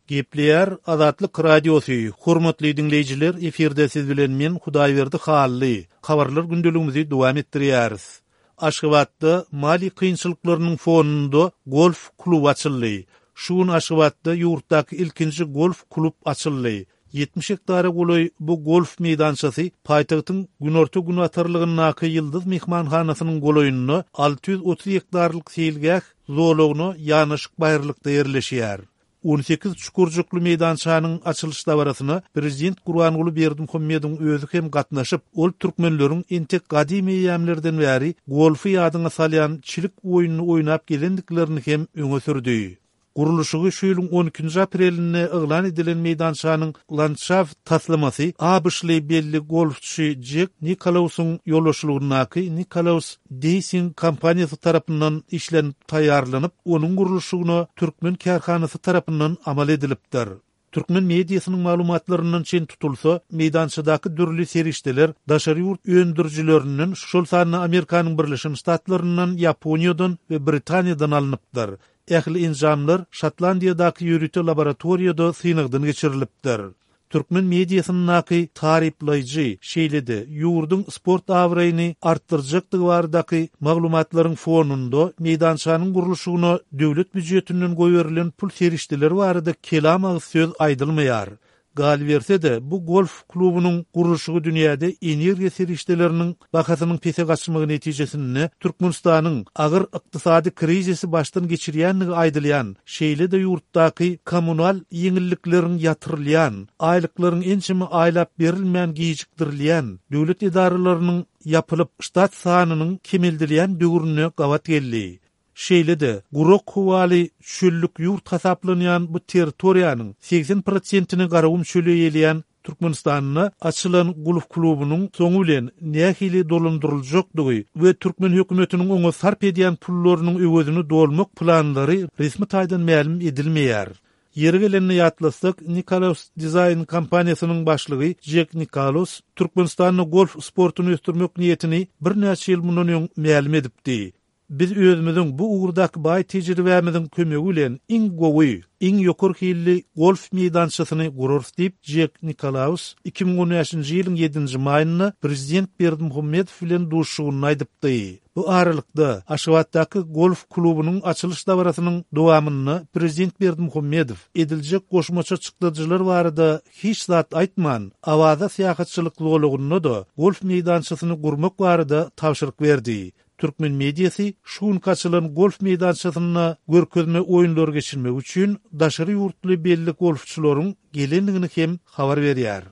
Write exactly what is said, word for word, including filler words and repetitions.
Gepleýär Azatlyk Radiosy, Hormatly diňleýjiler, efirde siz bilen men Hudaýberdi Hally. Habarlar gündeligimizi dowam etdirýäris. Aşgabatda maliýe kynçylyklarynyň fonunda golf kluby açyldy. Şu gün Aşgabatda ýurtdaky ilkinji golf klub açyldy. Ýetmiş gektara golaý bu golf meýdançasy paýtagtyň günorta-günortalygyndaky Ýyldyz myhmanhanasynyň golaýynda alty ýüz otuz gektarlyk seýilgäh zolagyna ýanaşyk baýyrlykda ýerleşýär. On sekiz çukurjykly meýdançanyň açylyş dabarasyna prezident Gurbanguly Berdimuhamedowyň özi hem gatnaşyp, ol türkmenleriň entek gadymy eýýamlardan bäri golfy ýadyňa salýan çilik oýnuny oýnap gelendiklerini hem öňe sürdi. Gurluşygy şu ýylyň on ikinji aprelinde yglan edilen meýdançanyň landşaft taslamasy ABŞ-ly belli golfçy Jek Nikolausyň ýolbaşçylygyndaky Nikolaus Deýsing kompaniýasy tarapyndan işlenip taýýarlanyp, onuň gurluşygyna türkmen kärhanasy tarapyndan amal edilipdir. Türkmen mediasynyň maglumatlaryndan çen tutulsa, meýdançadaky dürli serişdeler daşary ýurt öndürijilerinden, şol sanda Amerikanyň Birleşen Ştatlaryndan, Ýaponiýadan we Britaniýadan alnypdyr. Ähli enjamlar Şotlandiýadaky ýörite laboratoriýada synagdan geçirilipdir. Türkmen mediasyndaky taryplaýjy, şeýle-de ýurduň sport abraýyny artdyrjakdygy baradaky maglumatlaryň fonunda meýdançanyň gurluşygyna döwlet býujetinden goýberilen pul serişdeleri barada kelam agyz söz aýdylmaýar. Galyberse-de, bu golf klubunyň gurluşygy dünýäde energiýa serişdeleriniň bahasynyň pese gaçmagy netijesinde Türkmenistanyň agyr ykdysady krizisi başdan geçirýändigi aýdylýan, şeýle-de ýurtdaky kommunal ýeňillikleriň ýatyrylýan, aýlyklaryň ençeme aýlap berilmän gijikdirilýän, döwlet edaralarynyň ýapylyp, ştat sanynyň kemeldilýän döwrüne gabat geldi. Şeýle-de, gurak howaly çöllük ýurt hasaplanýan bu territoriýanyň segsen prosentini Garagum çöli eýeleýän Türkmenistanda açylan golf klubunyň soňy bilen nähili dolandyryljakdygy we türkmen hökümetiniň oňa sarp edýän pullarynyň öwezini dolmak planlary resmi taýdan mälim edilmeýär. Ýeri gelende ýatlasak, Nikolaus Design kompaniýasynyň başlygy Jek Nikalos Türkmenistanda golf sportuny ösdürmek niýetini birnäçe ýyl mundan öň mälim edipdi. Biz özümiziň bu ugurdaky baý tejribämiziň kömegi bilen iň gowy, iň ýokary hilli golf meýdançasyny gurarys diýip, Jek Nikolaus iki müň on bäşinji ýylyň ýedinji maýynda prezident Berdimuhamedow bilen duşuşygynda aýdypdy. Bu aralykda, Aşgabatdaky golf klubunyň açylyş dabarasynyň dowamynda prezident Berdimuhamedow ediljek goşmaça çykdajylar barada hiç zat aýtman, Awaza syýahatçylyk zolagynda-da golf meýdançasyny gurmak barada tabşyryk berdi. Türkmen mediasy şu günki açylan golf meýdançasynda görkezme oýunlary geçirmek üçin daşary ýurtly belli golfçylaryň gelendigini hem habar berýär.